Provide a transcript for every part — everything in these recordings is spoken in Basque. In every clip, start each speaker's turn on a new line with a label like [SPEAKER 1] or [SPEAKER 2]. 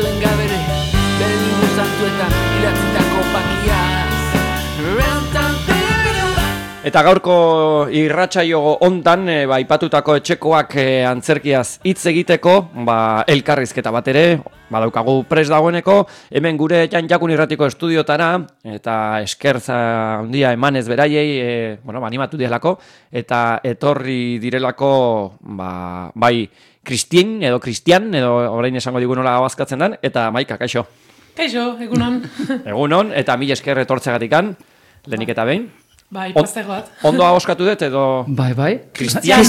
[SPEAKER 1] santoen gabere, bere liburu santuetan idatzitako pakiaz.
[SPEAKER 2] Eta gaurko irratsaio hontan aipatutako etxekoak antzerkiaz hitz egiteko, elkarrizketa bat ere badaukagu prest dagoeneko, hemen gure Jakun Irratiko estudiotara, eta eskerza handia emanez beraiei, animatu direlako, eta etorri direlako, bai Cristian, edo orain esango digu nola abazkatzen den, eta Maika, kaixo.
[SPEAKER 3] Kaixo, egunon.
[SPEAKER 2] Egunon, eta mila esker etortzegatikan, lehenik eta behin.
[SPEAKER 3] Bai, plazer bat.
[SPEAKER 2] Ondo ahoskatu dut edo...
[SPEAKER 4] Bai.
[SPEAKER 3] Cristian.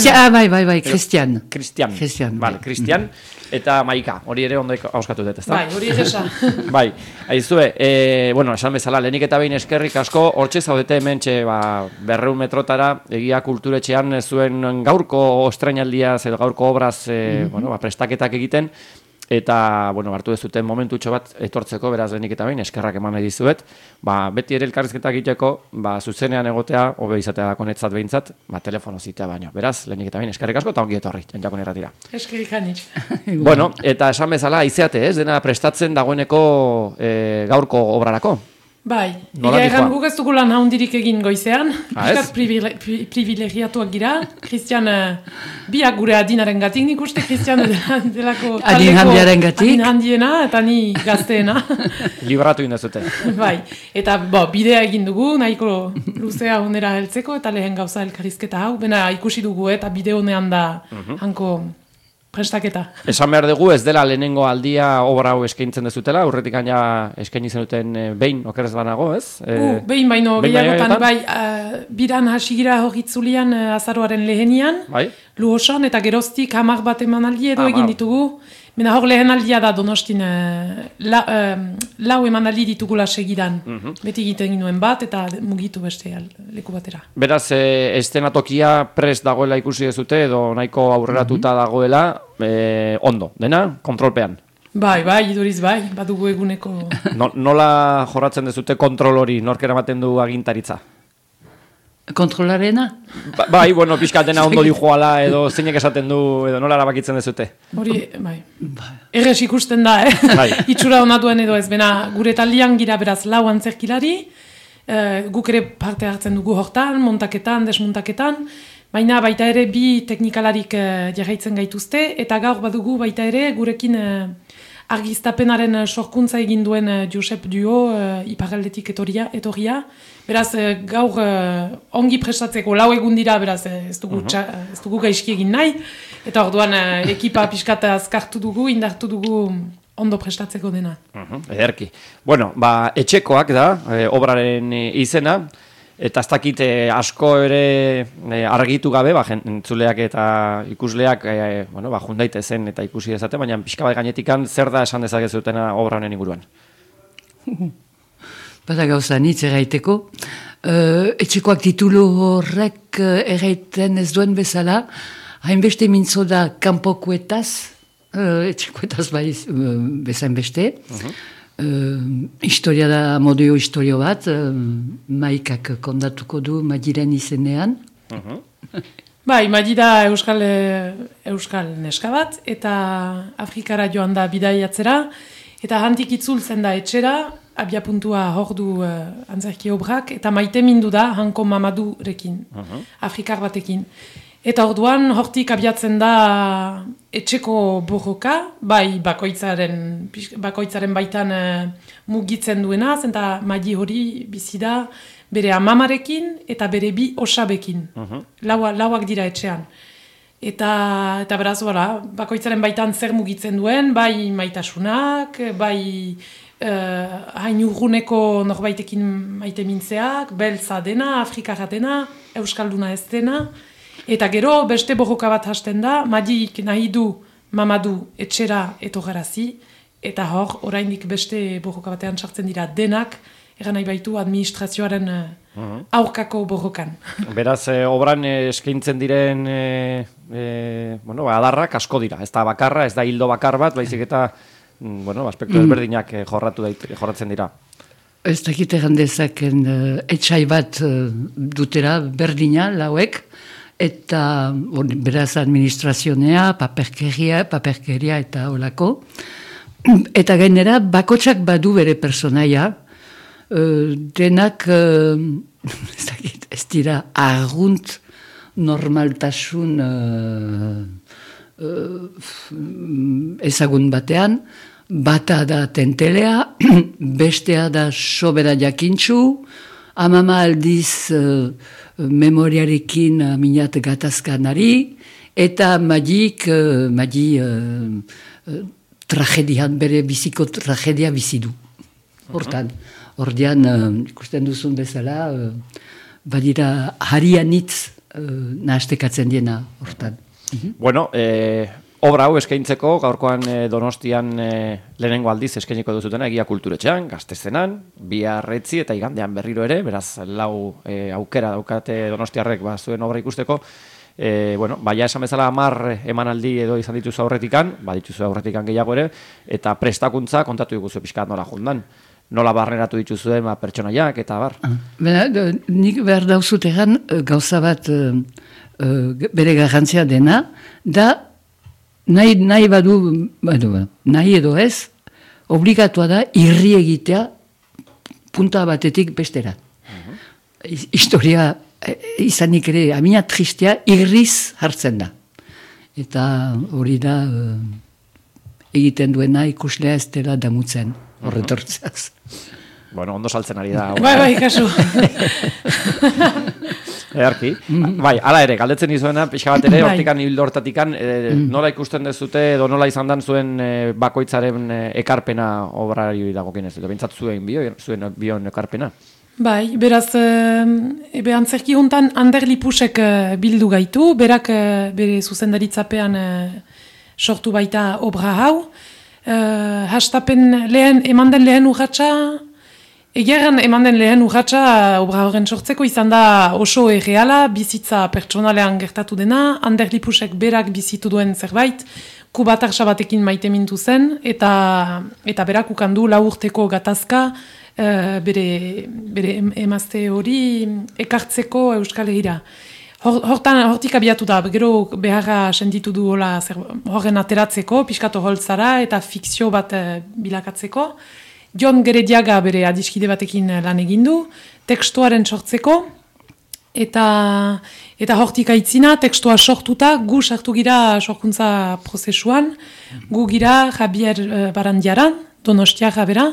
[SPEAKER 4] Cristian.
[SPEAKER 2] Vale, Cristian eta Maika, hori ere ondo ahoskatu dut, ezta?
[SPEAKER 3] Bai, hori egesa.
[SPEAKER 2] Bai, aizue, esan bezala, lehenik eta behin eskerrik asko, hortxe zaudete hemen 200 metrotara, egia kulturetxean zuen gaurko estrainaldia, gaurko obraz, prestaketak egiten, eta, hartu dezuten momentutxo bat etortzeko, beraz lehenik eta behin, eskerrak eman nahi dizuet, beti ere elkarrizketak egiteko, zuzenean egotea, hobe izatea da konetzat behintzat, telefono zitea baino. Beraz, lehenik eta behin, eskerrik asko, eta ongi etorri, Jakun Irratira.
[SPEAKER 3] Eskerrik anitz.
[SPEAKER 2] Eta esan bezala, aizeate ez, dena prestatzen dagoeneko gaurko obrarako.
[SPEAKER 3] Bai, egan guk ez dugu lan haundirik egin goizean, piskat privilegiatuak gira, Cristian, biak gure adinaren gatik, nik uste Cristian delako
[SPEAKER 4] adin
[SPEAKER 3] handiena, eta ni gazteena.
[SPEAKER 2] Libratu indazute.
[SPEAKER 3] Bai, eta bidea egin dugu, nahiko luzea honera heltzeko, eta lehen gauza elkarrizketa hau, bena ikusi dugu, eta bide honean da hanko... prestaketa. Esan
[SPEAKER 2] behar dugu, ez dela lehenengo aldia obra hau eskaintzen dezutela, urretik gaina eskaini zenuten behin okerez banago, ez?
[SPEAKER 3] Behin baino gehiagotan, bai, biran hasigira horitzulian azaroaren lehenian, lu osan, eta geroztik 10 bat emanaldi edo egin ditugu. Mena hor lehen aldia da Donostin lau emanaldi ditugula segidan. Beti egiten ginuen bat eta mugitu beste leku batera.
[SPEAKER 2] Beraz, estenatokia prest dagoela ikusi dezute edo nahiko aurreratuta dagoela, ondo, dena, kontrolpean.
[SPEAKER 3] Bai, iduriz bai, badugu eguneko...
[SPEAKER 2] Nola jorratzen dezute kontrol hori, nork eramaten du agintaritza?
[SPEAKER 4] Kontrolarena?
[SPEAKER 2] Bai, pixka dena ondo dijoala edo zeinek esaten du edo nola erabakitzen dezute?
[SPEAKER 3] Hori, bai. Errez ikusten da, itxura honatuen edo ez, bena gure taldean gira beraz lau antzerkilari, guk ere parte hartzen dugu hortan, montaketan, desmontaketan, baina baita ere bi teknikalarik jarraitzen gaituzte, eta gaur badugu baita ere gurekin argiztapenaren sorkuntza egin duen Josep Duo iparraldetik etorria. Beraz, gaur ongi prestatzeko lau egun dira, beraz, ez dugu gaizki egin nahi. Eta orduan ekipa pixkat azkartu dugu, indartu dugu ondo prestatzeko dena.
[SPEAKER 2] Ederki. Etxekoak da, obraren izena, eta ez dakit asko ere argitu gabe, entzuleak eta ikusleak jundaite zen eta ikusi dezate, baina pixka bat gainetikan zer da esan dezakezutena obra honen inguruan?
[SPEAKER 4] Bada gauza nitz erraiteko. Etxekoak titulu horrek erraiten ez duen bezala, hainbeste mintzo da kanpokoetaz, etxekoetaz bezain beste. Historia da modio historio bat, Maikak kondatuko du Madiren izenean.
[SPEAKER 3] Bai, Madi da euskal neska bat, eta Afrikara joan da bidaiatzera, eta handik itzultzen da etxera, abiapuntua hor du antzerki obrak, eta maite mindu da hanko Mamadurekin, Afrikar batekin. Eta orduan hortik abiatzen da etxeko borroka, bai bakoitzaren baitan mugitzen duena, eta Madi hori bizi da bere amamarekin eta bere bi osabekin, lauak dira etxean. Eta beraz, bakoitzaren baitan zer mugitzen duen, bai maitasunak, bai hain urguneko norbaitekin maite mintzeak, beltza dena, afrikarra dena, euskalduna ez dena, eta gero beste borroka bat hasten da, Madik nahi du Mamadu etxera etorgarazi, eta hor, oraindik beste borroka batean sartzen dira denak, eran nahi baitu administrazioaren aurkako borrokan.
[SPEAKER 2] Beraz, obran eskaintzen diren adarrak asko dira, ez da bakarra, ez da hildo bakar bat, baizik eta aspektu ezberdinak jorratzen dira.
[SPEAKER 4] Ez dakit errandezaken etxai bat dutera berdina lauek, eta beraz administrazionea, paperkeria eta holako. eta gainera, bakotsak badu bere personaia, denak, ez dira, argunt normaltasun ezagun batean, bata da tentelea, bestea da sobera jakintxu, amama aldiz memoriarekin minat gatazkanari, eta magi tragedian, bere biziko tragedia bizidu. Hortan, ordean, ikusten duzun bezala, badira harianitz nahastekatzen diena hortan.
[SPEAKER 2] Bueno, obra hau eskaintzeko, gaurkoan Donostian lehenengo aldiz eskainiko duzutena, Egia Kulturetxean, Gaztezenan, biharretzi eta igandean berriro ere, beraz lau aukera daukate Donostiarrek zuen obra ikusteko. Bueno, baina esan bezala 10 emanaldi edo izan dituzu aurretikan, badituzu aurretikan gehiago ere, eta prestakuntza kontatu diguzu pixkat nola jundan. Nola barneratu dituzuen pertsonaiak eta bar.
[SPEAKER 4] Nik behar dauzut egan gauza bat bere garrantzia dena, da nahi badu, nahi edo ez, obligatua da irri egitea punta batetik bestera. Historia izanik ere, amina tristea, irriz hartzen da. Eta hori da egiten duena ikuslea ez dela damutzen, horretortzaz.
[SPEAKER 2] Bueno, ondo saltzen ari da.
[SPEAKER 3] Bai, kasu.
[SPEAKER 2] Earki. Bai, ala ere, galdetzen izuena, pixka bat ere, hortikan hildo hortatikan, nola ikusten dezute, edo nola izan dan zuen bakoitzaren ekarpena obrari dagokienez, edo bintzat zuen bion ekarpena?
[SPEAKER 3] Bai, beraz, antzerki hontan Ander Lipusek bildu gaitu, berak bere zuzendaritzapean sortu baita obra hau. Hastapen eman den lehen urratsa, egeran eman den lehen urratsa obra horren sortzeko izan da oso erreala, bizitza pertsonalean gertatu dena, Ander Lipusek berak bizitu duen zerbait, kubatarsa batekin maite mintu zen, eta berak ukandu 4 urteko gatazka, bere emazte hori ekartzeko Euskal Herrira. Hortik abiatu da, gero beharra sentitu du horren ateratzeko, piskato holtzara eta fikzio bat bilakatzeko. Jon Gerediaga bere adiskide batekin lan egindu, tekstuaren sortzeko, eta hortik aitzina, tekstua sortuta, gu sartu gira sorkuntza prozesuan, gu gira Javier Barandiaran, Donostiarra bera,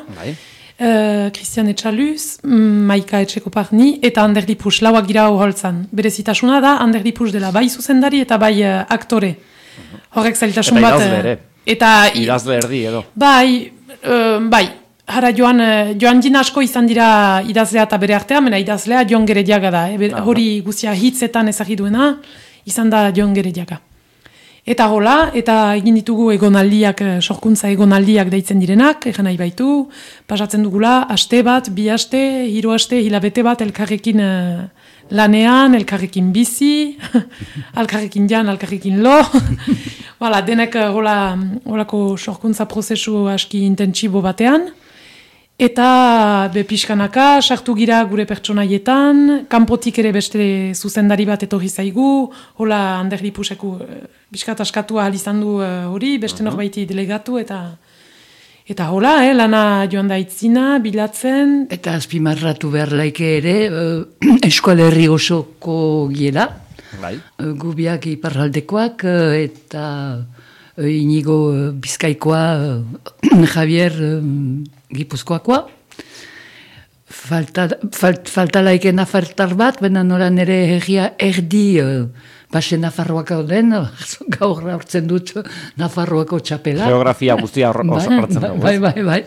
[SPEAKER 3] Christian Etxaluz, Maika Etxekoparni eta Ander Lipus, lauak gira holtzan. Berezitasuna da, Ander Lipus dela bai zuzendari eta bai aktore. Horrek zailtasun bat.
[SPEAKER 2] Eta idazle erdi edo.
[SPEAKER 3] Bai, jara joan jin asko izan dira idazlea eta bere artea, mena idazlea Jon Gerediaga da. Hori guztia hitzetan ezagiduena, izan da Jon Gerediaga. Eta hola, eta egin ditugu egonaldiak, sorkuntza egonaldiak deitzen direnak, egan nahi baitu, pasatzen dugula, aste bat, 2 aste, 3 aste, hilabete bat, elkarrekin lanean, elkarrekin bizi, elkarrekin jan, elkarrekin lo. Hala, denek holako sorkuntza prozesu aski intentsibo batean. Eta pixkanaka, sartu gira gure pertsonaietan, kanpotik ere beste zuzendari bat etorri zaigu, hola Ander Lipuseku pixkat askatu ahal izan du hori, beste norbaiti delegatu, eta hola, lana joan da itzina, bilatzen.
[SPEAKER 4] Eta azpimarratu behar laike ere, Euskal Herri osoko giela, gubiak iparraldekoak, eta Inigo Bizkaikoa, Javier Gipuzkoakoa. Falta laiken afartar bat, bena noran ere herria erdi base Nafarroak den, gaur hartzen dut Nafarroako txapela.
[SPEAKER 2] Geografia guztia hartzen dugu.
[SPEAKER 4] Bai.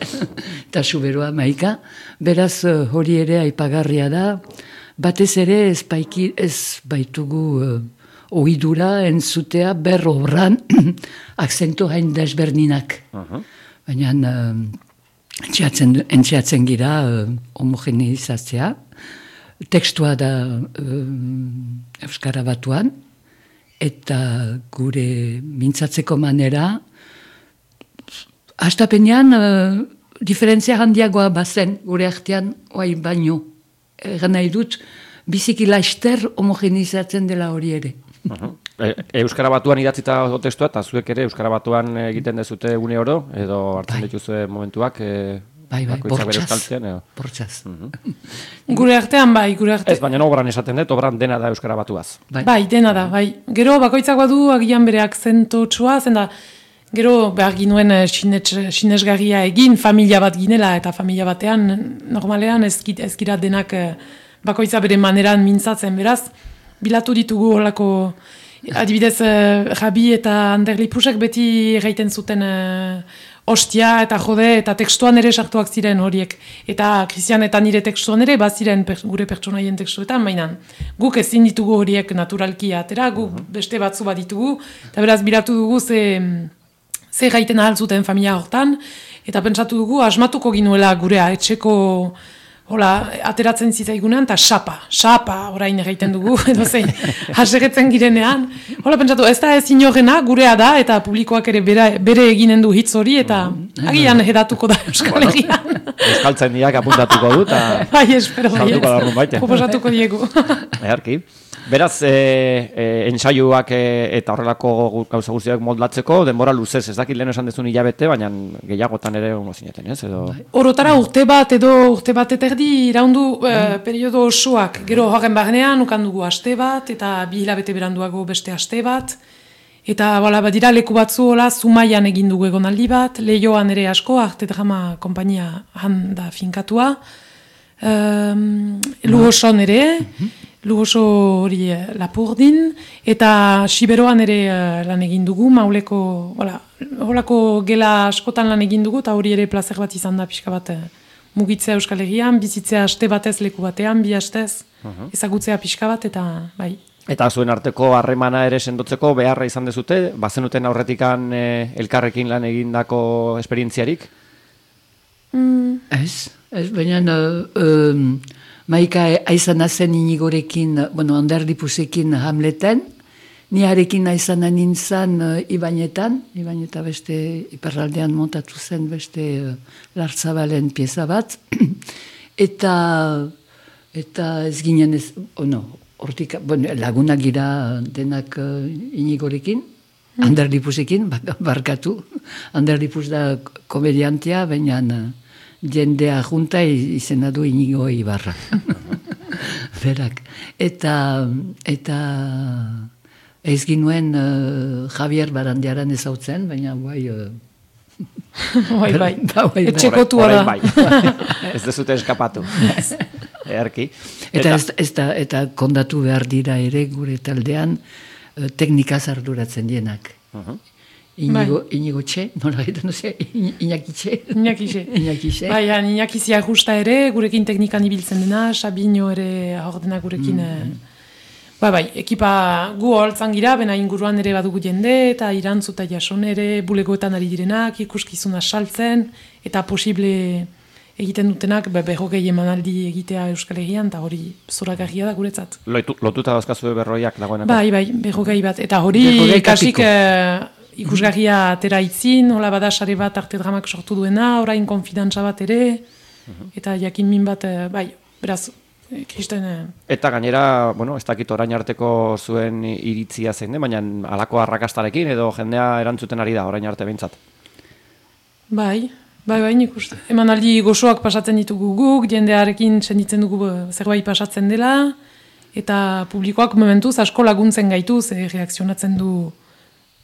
[SPEAKER 4] Eta suberoa maika. Beraz hori ere aipagarria da. Batez ere ez baitugu ohidura entzutea berrobran akzentu hain desberdinak. Baina entxeatzen gira homogeneizatzea. Tekstua da Euskara Batuan, eta gure mintzatzeko manera, hastapenean diferentzia handiagoa bazen gure artean oai baino. Egan nahi dut, biziki laster homogenizatzen dela hori ere.
[SPEAKER 2] Euskara Batuan idatzita testua, eta zuek ere Euskara Batuan egiten dezute une oro, edo hartzen dituzue momentuak,
[SPEAKER 4] Bai,
[SPEAKER 2] bortxaz.
[SPEAKER 3] Gure artean, gure artean.
[SPEAKER 2] Ez, baina obran esaten dut, obran dena da Euskara Batuaz.
[SPEAKER 3] Bai, dena da, bai. Gero, bakoitzak badu, agian bere akzentotxua, zenda, gero, behar ginuen sinesgarria egin, familia bat ginela, eta familia batean, normalean ez gira denak bakoitza bere maneran mintzatzen, beraz, bilatu ditugu holako, adibidez, Jabi eta Anderlipusek beti gaiten zuten ostia eta jode, eta tekstuan ere sartuak ziren horiek. Eta Christian eta nire tekstuan ere, baziren gure pertsonaien tekstuetan, baina guk ezin ditugu horiek naturalki atera, guk beste batzu bat ditugu, eta beraz, bilatu dugu ze gaiten ahal zuten familia hortan, eta pentsatu dugu, asmatuko ginuela gurea etxeko ateratzen zitzaigunean, eta xapa, orain egiten dugu, edo zein, hasegetzen girenean. Pentsatu, ez da ez inorena, gurea da, eta publikoak ere bere eginen du hitz hori, eta agian edatuko da Euskal Herrian.
[SPEAKER 2] Euskaltzen diak apuntatuko du, eta
[SPEAKER 3] bai, espero, proposatuko diegu.
[SPEAKER 2] Eharki. Beraz, ensaioak eta horrelako gauza guztiak moldatzeko, denbora luzez, ez dakit lehen esan dezun hilabete, baina gehiagotan ere ongo zineten, ez?
[SPEAKER 3] Orotara urte bat eta erdi iraundu periodo osoak, gero horren barnean ukan dugu aste bat, eta 2 hilabete beranduago beste aste bat, eta badira leku batzu Zumaian egin dugu egonaldi bat, Leioan ere asko, Arte Drama konpainia handa finkatua, Lugoson ere, Lugoso hori Lapurdin, eta Siberoan ere lan egin dugu, Mauleko, holako gela askotan lan egin dugu, eta hori ere plazer bat izan da pixka bat mugitzea Euskal Herrian, bizitzea aste batez leku batean, 2 astez, ezagutzea pixka bat, eta bai. Eta
[SPEAKER 2] zuen arteko harremana ere sendotzeko beharra izan dezute, bazenuten aurretikan elkarrekin lan egindako esperientziarik?
[SPEAKER 4] Ez, baina Maika aizana zen Inigorekin, Anderlipusekin Hamleten, niarekin aizana nintzen Ibañeta beste iparraldean montatu zen beste Lartzabalen pieza bat, eta ez ginen hortik, lagunak gira denak Inigorekin, Anderlipusekin, barkatu, Anderlipus da komediantea, baina jendea junta izena du Inigo Ibarra. Berak. Eta ez ginuen Javier Barandiaran ezautzen, baina bai...
[SPEAKER 3] Bai. Etxekotua da.
[SPEAKER 2] Ez dezute eskapatu. Erki.
[SPEAKER 4] Eta kondatu behar dira ere gure taldean teknikaz arduratzen dienak. Inigo Txe, nola egiten duzia, Iñaki Txe.
[SPEAKER 3] Iñaki zia justa ere, gurekin teknikan ibiltzen dena, Sabino ere ordena gurekin. Ekipa gu holtzan gira, bena inguruan ere badugu jende, eta Irantzu eta Jason ere bulegoetan ari direnak, ikuskizuna saltzen, eta posible egiten dutenak, berrogei emanaldi egitea Euskal Herrian, eta hori zoragarria da guretzat.
[SPEAKER 2] Lotuta dauzkazue berroiak dagoenako?
[SPEAKER 3] Bai, berrogei bat, eta hori kasik... Ikusgarria atera itzin, hola bada sare bat Arte Dramak sortu duena, orain konfidantza bat ere, eta jakin min bat, beraz, kristen...
[SPEAKER 2] Eta gainera, ez dakit orain arteko zuen iritzia zein, baina halako arrakastarekin edo jendea erantzuten ari da orain arte behintzat?
[SPEAKER 3] Bai, nik uste. Emanaldi gozoak pasatzen ditugu guk, jendearekin senditzen dugu zerbait pasatzen dela, eta publikoak momentuz asko laguntzen gaituz, reakzionatzen du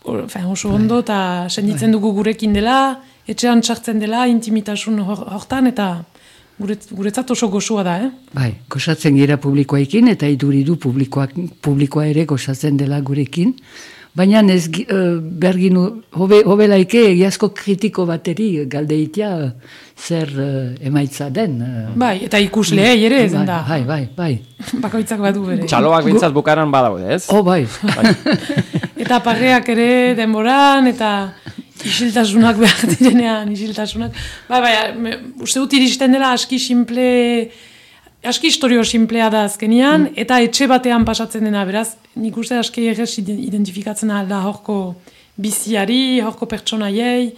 [SPEAKER 3] oso ondo, eta senditzen dugu gurekin dela, etxean txartzen dela, intimitasun hortan, eta guretzat oso gozoa da,
[SPEAKER 4] Bai, gozatzen gira publikoekin, eta iduridu publikoa ere gozatzen dela gurekin, baina ez berginu, hobelaike egiazko kritiko bateri galdeitia zer emaitza den.
[SPEAKER 3] Bai, eta ikusleei ere ezen da.
[SPEAKER 4] Bai.
[SPEAKER 3] Bakoitzak badu bere.
[SPEAKER 2] Txaloak bintzat bukaran badaude, ez?
[SPEAKER 4] Bai.
[SPEAKER 3] Eta parreak ere denboran, eta isiltasunak behar direnean, isiltasunak. Bai, uste dut iristen dela aski historio simplea da azkenian, eta etxe batean pasatzen dena, beraz, nik uste aski egez identifikatzen alda horko biziari, horko pertsonaiei,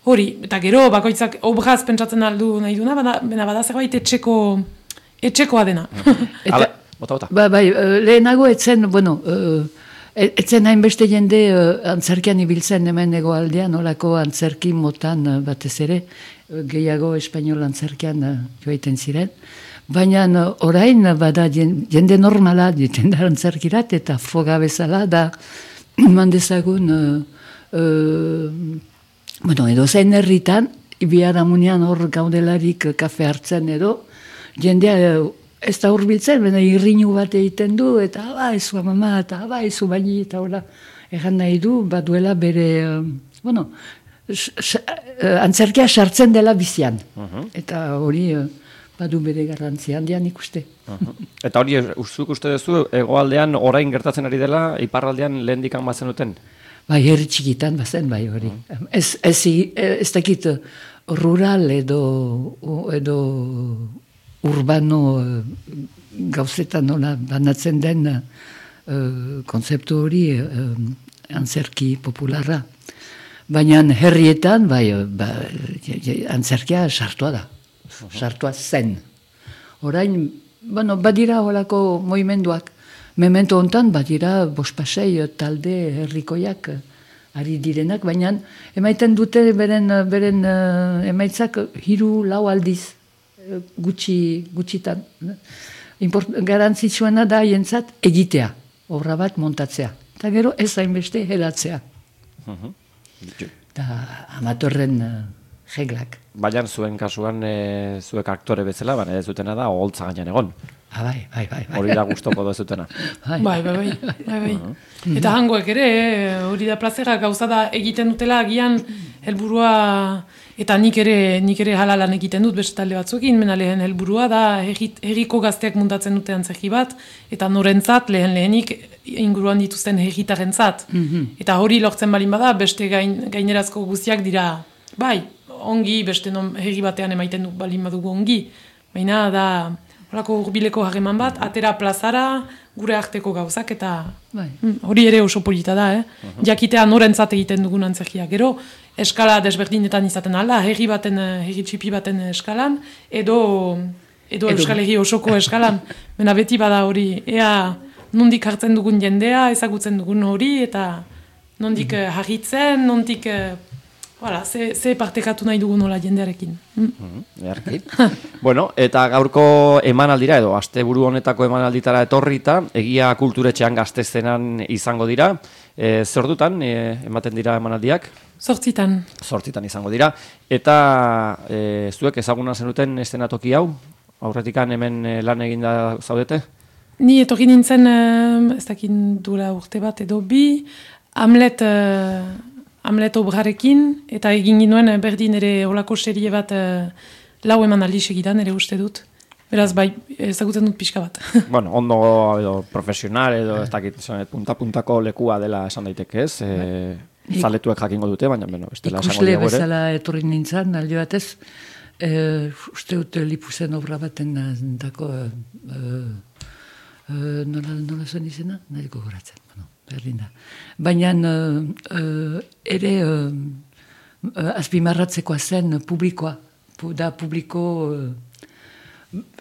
[SPEAKER 3] hori, eta gero, bakoitzak obraz pentsatzen aldu nahi duna, bena bada zerbait etxekoa dena.
[SPEAKER 2] Bota.
[SPEAKER 4] Bai, lehenago etzen, Etzen hainbeste jende antzerkian ibiltzen hemen egoaldean, olako antzerki motan batez ere, gehiago espainol antzerkian joaiten ziren. Baina orain bada jende normala jende antzerkirat eta froga bezala da mandezagun edo zein herritan, Ibiaramunean hor gaudelarik kafe hartzen edo, jendea ez da hurbiltzen, baina irriñu bat egiten du, eta ezu mama, eta ezu baini, eta hola, egan nahi du, baduela bere, antzerkia sartzen dela bizian. Eta hori badu bere garrantzia handian ikuste.
[SPEAKER 2] Eta hori, zuk uste duzu, hegoaldean orain gertatzen ari dela, iparraldean lehendikan bazen duten?
[SPEAKER 4] Bai, herri txikitan bazen, bai hori. Ez dakit rural edo urbano gauzetan nola banatzen den kontzeptu hori antzerki popularra. Baina herrietan, antzerkia sartua da. Sartua zen. Orain, badira holako movimenduak. Memento hontan badira bospasei talde herrikoiak ari direnak, baina emaiten dute beren emaitzak 3-4 aldiz gutxitan. Garantzitsuena da jentzat egitea, obra bat montatzea. Eta gero ez hainbeste helatzea. Eta amatorren reglak.
[SPEAKER 2] Baina zuen kasuan zuek aktore bezala, baina ez dutena da oholtza gainean egon.
[SPEAKER 4] Bai.
[SPEAKER 2] Hori da gustoko duzutena.
[SPEAKER 3] Bai. Eta hangoek ere, hori da plazera gauza da egiten dutela agian helburua, eta nik ere halalan egiten dut beste talde batzuekin, mena lehen helburua da herriko gazteak muntatzen dute antzerki bat, eta norentzat lehenik inguruan dituzten herritarentzat. Eta hori lortzen balin bada, beste gainerazko guztiak dira, bai, ongi, beste herri batean emaiten du balin badugu ongi, baina da horako hurbileko harreman bat, atera plazara, gure arteko gauzak, eta hori ere oso polita da, jakitea norentzat egiten dugun antzerkia. Gero, eskala desberdinetan izaten alda, herri txipi baten eskalan, edo Euskal Herri osoko eskalan. Mena beti bada hori, ea nondik hartzen dugun jendea, ezagutzen dugun hori, eta nondik harritzen, nondik... ze partekatu nahi dugu nola jendearekin.
[SPEAKER 2] Bueno, eta gaurko emanaldira edo asteburu honetako emanalditara etorrita, Egia Kulturetxean Gastezenan izango dira. Zer dutan ematen dira emanaldiak?
[SPEAKER 3] 8
[SPEAKER 2] izango dira. Eta zuek ezaguna zenuten eszenatoki hau? Aurretikan hemen lan eginda zaudete?
[SPEAKER 3] Ni etorri nintzen, ez dakin dura urte bat edo bi, Hamlet obrarekin, eta egin ginuen berdin ere olako serie bat 4 emanaldi segidan ere uste dut. Beraz, bai, ezagutzen dut pixka bat.
[SPEAKER 2] Bueno, ondo edo profesional edo ez dakit punta-puntako lekua dela esan daiteke ez. Zaletuek jakingo dute, baina bestela esango
[SPEAKER 4] diago ere.
[SPEAKER 3] Ikusle
[SPEAKER 4] bezala etorri nintzen, alde batez, uste dut Lipuzen obra baten dako, nola zen izena? Nahiko goratzen, berdin da. Baina ere azpimarratzekoa zen publikoa, publiko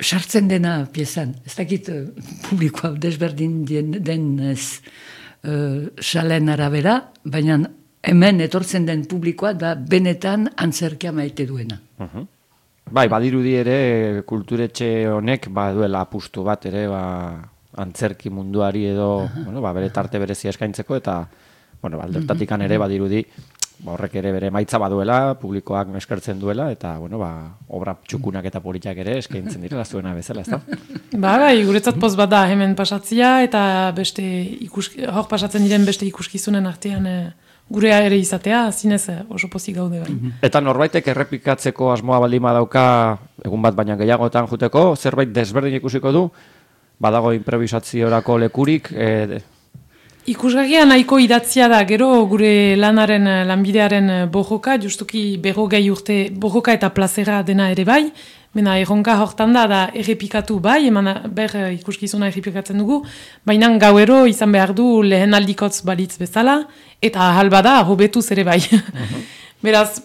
[SPEAKER 4] sartzen dena piezan. Ez dakit publikoa desberdin den salen arabera, baina hemen etortzen den publikoa da benetan antzerkia maite duena.
[SPEAKER 2] Bai, badirudi ere kulturetxe honek duela apustu bat ere antzerki munduari edo bere tarte berezia eskaintzeko eta aldertatikan ere badirudi horrek ere bere maitza baduela, publikoak eskertzen duela eta obra txukunak eta politak ere eskaintzen direla zuena bezala, ez da?
[SPEAKER 3] Bai, guretzat poz bat da hemen pasatzia eta beste hor pasatzen diren beste ikuskizunen artean gurea ere izatea, zinez oso pozik gaude bai.
[SPEAKER 2] Eta norbaitek errepikatzeko asmoa baldin badauka egun bat baina gehiagotan juteko, zerbait desberdin ikusiko du? Badago improvisaziorako lekurik?
[SPEAKER 3] Ikusgarria nahiko idatzia da, gero gure lanbidearen bojoka, justuki berrogei urte bojoka eta plazera dena ere bai, mena erronka hortan da errepikatu bai, ikuskizuna errepikatzen dugu, baina gauero izan behar du lehen aldikotz balitz bezala, eta ahal bada hobetuz ere bai. Beraz,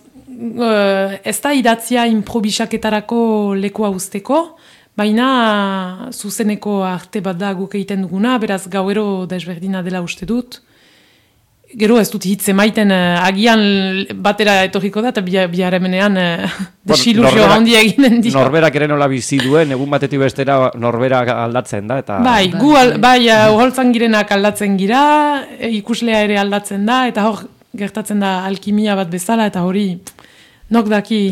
[SPEAKER 3] ez da idatzia improvisaketarako lekua usteko, baina zuzeneko arte bat da guk egiten duguna, beraz gauero desberdina dela uste dut. Gero ez dut hitz emaiten agian batera etorriko da, eta biharremenean desiluzio handia eginen dio.
[SPEAKER 2] Norberak ere nola bizi duen, egun batetik bestera norberak aldatzen da. Eta...
[SPEAKER 3] Bai, uholtzan girenak aldatzen gira, ikuslea ere aldatzen da, eta hor gertatzen da alkimia bat bezala, eta hori nok daki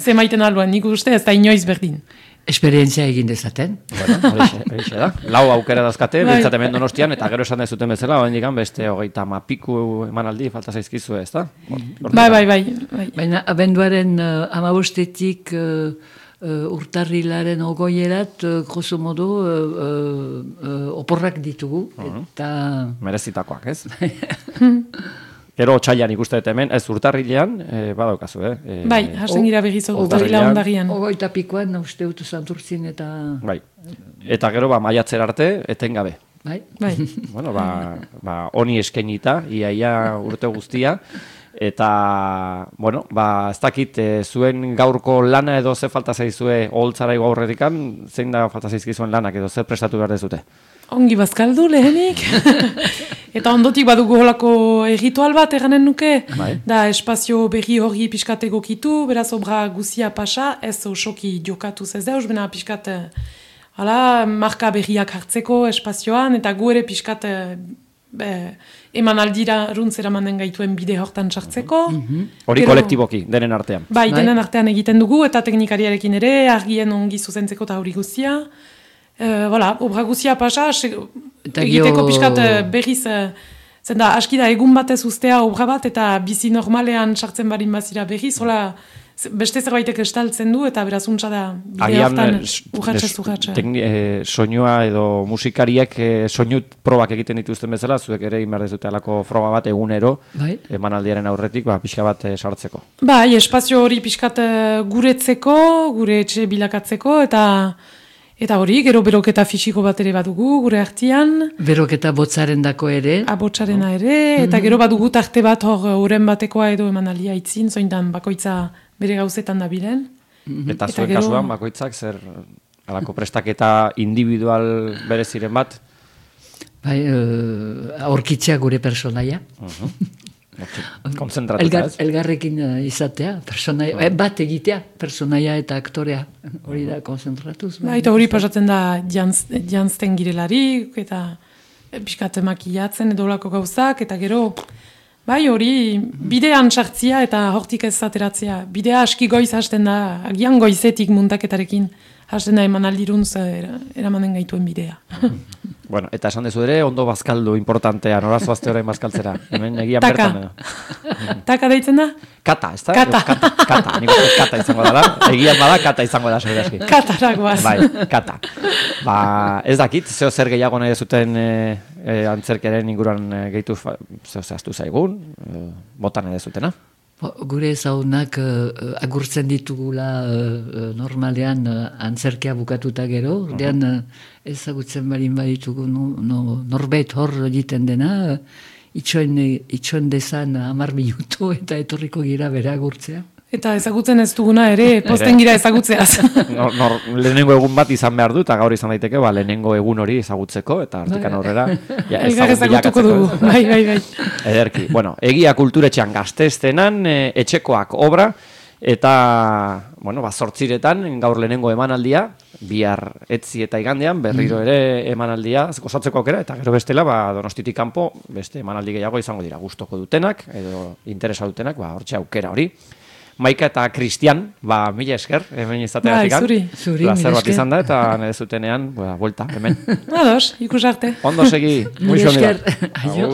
[SPEAKER 3] zemaiten alduen, nik uste ez da inoiz berdin.
[SPEAKER 4] Esperientzia egin dezaten.
[SPEAKER 2] Bueno, horixe da. Lau aukera dazkate, biltzaten Donostian, eta gero esan dezuten bezala, oraindik beste 30 piku emanaldi falta zaizkizu, ez da?
[SPEAKER 3] Bai.
[SPEAKER 4] Baina abenduaren 15-etik urtarrilaren 20erat, grosso modo, oporrak ditugu. Eta...
[SPEAKER 2] merezitakoak, ez? Gero otsailean ikuste dut hemen, ez urtarrilean, badaukazu,
[SPEAKER 3] Bai, hasten gira begiz urtarrila ondarian.
[SPEAKER 4] 20 pikoan, uste dut Santurtzin eta...
[SPEAKER 2] Bai, eta gero maiatzer arte, etengabe.
[SPEAKER 4] Bai.
[SPEAKER 2] Bueno, honi eskainita, iaia urte guztia, eta, bueno, ez dakit, zuen gaurko lana edo ze falta zaizue oholtzara igo aurretikan, zein da falta zaizkizuen lanak edo zer prestatu behar dezute?
[SPEAKER 3] Ongi bazkaldu lehenik. Eta ondotik badugu holako erritual bat eganen nuke. Da espazio berri hori pixkat egokitu, beraz obra guzia pasa, ez osoki jokatuz ez deus, bena pixkat marka berriak hartzeko espazioan, eta gu ere pixkat emanaldira runtzera manen gaituen bide hortan sartzeko.
[SPEAKER 2] Hori kolektiboki, denen artean.
[SPEAKER 3] Bai, denen artean egiten dugu, eta teknikariarekin ere, argien ongi zuzentzeko eta hori guzia. Obra guzia pasa, egiteko pixkat berriz, zenda aski da egun batez ustea obra bat, eta bizi normalean sartzen barin bazira berriz, beste zerbaitek estaltzen du, eta beraz untsa da bide hortan urratxez.
[SPEAKER 2] Soinua edo musikariek soinu probak egiten dituzten bezala, zuek ere inber dezute alako froga bat egunero, emanaldiaren aurretik, pixka bat sartzeko. Bai,
[SPEAKER 3] espazio hori pixkat guretzeko, gure etxe bilakatzeko, eta hori, gero beroketa fisiko bat ere badugu, gure artian.
[SPEAKER 4] Beroketa botzaren dako ere.
[SPEAKER 3] Botzarena ere, eta gero badugu tarte bat hor uren batekoa edo emanaldia itzin, zointan bakoitza bere gauzetan da bilen.
[SPEAKER 2] Eta zuen kasuan, bakoitzak, zer alako prestaketa individual bereziren bat?
[SPEAKER 4] Bai, aurkitzea gure personaia.
[SPEAKER 2] Konzentratuta, ez?
[SPEAKER 4] Elgarrekin izatea, bat egitea, personaia eta aktorea, hori da konzentratuz.
[SPEAKER 3] Eta hori pasatzen da jantzten girelarik, eta pixkat makillatzen edo olako gauzak, eta gero, bai hori bidean sartzia eta hortik ez ateratzea. Bidea aski goiz hasten da, agian goizetik muntaketarekin hasten da emanaldiruntz eramanen gaituen bidea.
[SPEAKER 2] Bueno, eta esan dezu ere, ondo bazkaldu importantea, noraz zoazte orain bazkaltzera. Hemen egian bertan.
[SPEAKER 3] Taka deitzen da?
[SPEAKER 2] Kata, ez da? Kata, nik uste kata izango da. Egian bada, kata izango da, segurazki.
[SPEAKER 3] Kataragoaz.
[SPEAKER 2] Bai, kata. Ez dakit, zeo zer gehiago nahi zuten antzerkeren inguruan gehitu, zeo zehaztu zaigun, botan nahi zutena.
[SPEAKER 4] Gure ezagunak agurtzen ditugula normalean antzerkia bukatuta gero, ordean ezagutzen barin baditugu norbait hor egiten dena, itxoen dezan 10 minutu eta etorriko gira bere agurtzea.
[SPEAKER 3] Eta ezagutzen ez duguna ere, posten gira ezagutzeaz.
[SPEAKER 2] Lehenengo egun bat izan behar du, eta gaur izan daiteke, lehenengo egun hori ezagutzeko, eta artikan horrera
[SPEAKER 3] elgar ezagutuko dugu. Bai.
[SPEAKER 2] Ederki. Bueno, egia kulturetxean gazteztenan, etxekoak obra, eta, zortziretan, gaur lehenengo emanaldia, bihar etzi eta igandean, berriro ere emanaldia, gozatzeko aukera, eta gero bestela, Donostitik kanpo, beste emanaldi gehiago izango dira, gustoko dutenak, edo interesa dutenak, hortxe aukera hori. Maika eta Kristian, mila esker, hemen izateagatik.
[SPEAKER 3] Zuri,
[SPEAKER 2] plazer bat izan da, eta nire zutenean, buelta, hemen.
[SPEAKER 3] Ados, ikus arte.
[SPEAKER 2] Ondo segi,
[SPEAKER 4] mila esker. Aio.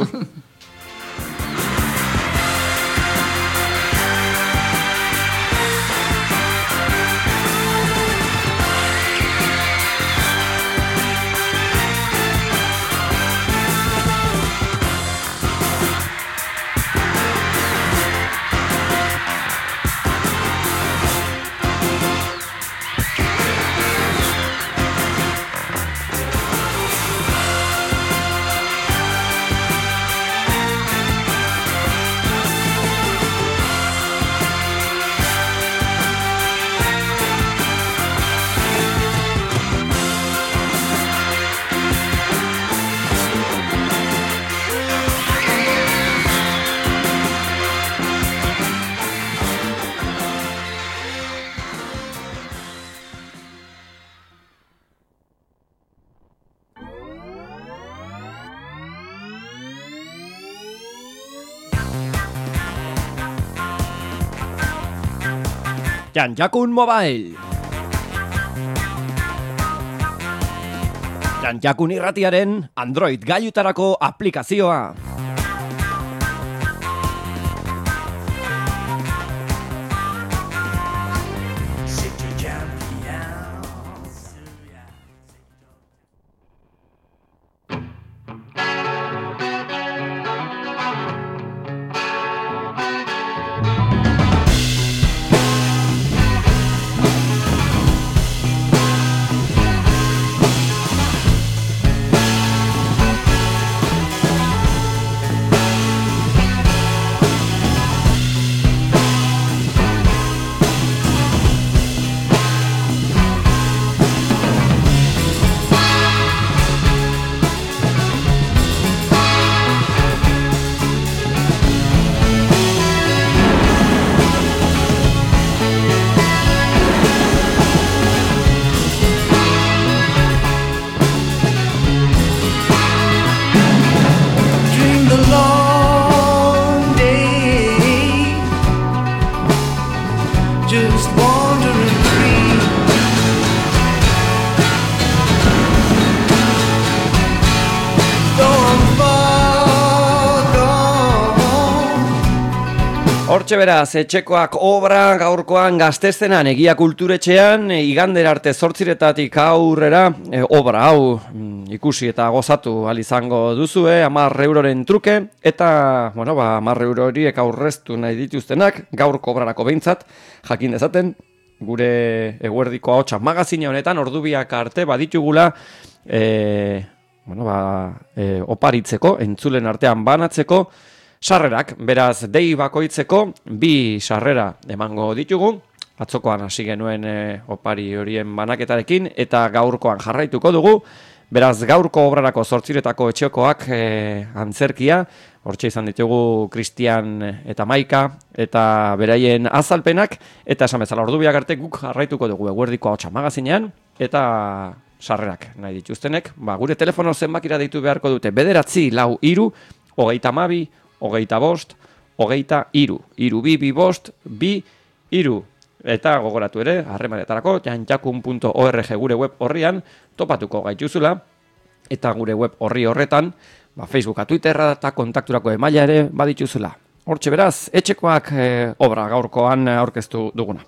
[SPEAKER 2] Janjakun Mobile. Janjakun irratiaren Android gailutarako aplikazioa. Hortxe beraz, etxekoak obra gaurkoan Gazteztenan Egia Kulturetxean, igandera arte 8:00 aurrera, obra hau ikusi eta gozatu ahal izango duzue, 10 euroren truke, eta, 10 euro horiek aurreztu nahi dituztenak, gaurko obrarako behintzat, jakin dezaten, gure eguerdiko ahotsa magazine honetan, ordubiak arte baditugula, oparitzeko, entzulen artean banatzeko, sarrerak, beraz, dei bakoitzeko, 2 sarrera emango ditugu, atzokoan hasi genuen opari horien banaketarekin, eta gaurkoan jarraituko dugu, beraz, gaurko obrarako 8:00 etxekoak antzerkia, hortxe izan ditugu Kristian eta Maika, eta beraien azalpenak, eta esan bezala ordubiak arte guk jarraituko dugu eguerdiko ahotsa magazinean, eta sarrerak nahi dituztenek, gure telefono zenbakira deitu beharko dute, 943 32 25, 23, 222, eta gogoratu ere, harremanetarako, janjakun.org gure web horrian, topatuko gaituzula, eta gure web horretan, Facebooka, Twitterra eta kontakturako emaila ere badituzula. Hortxe beraz, etxekoak obra gaurkoan aurkeztu duguna.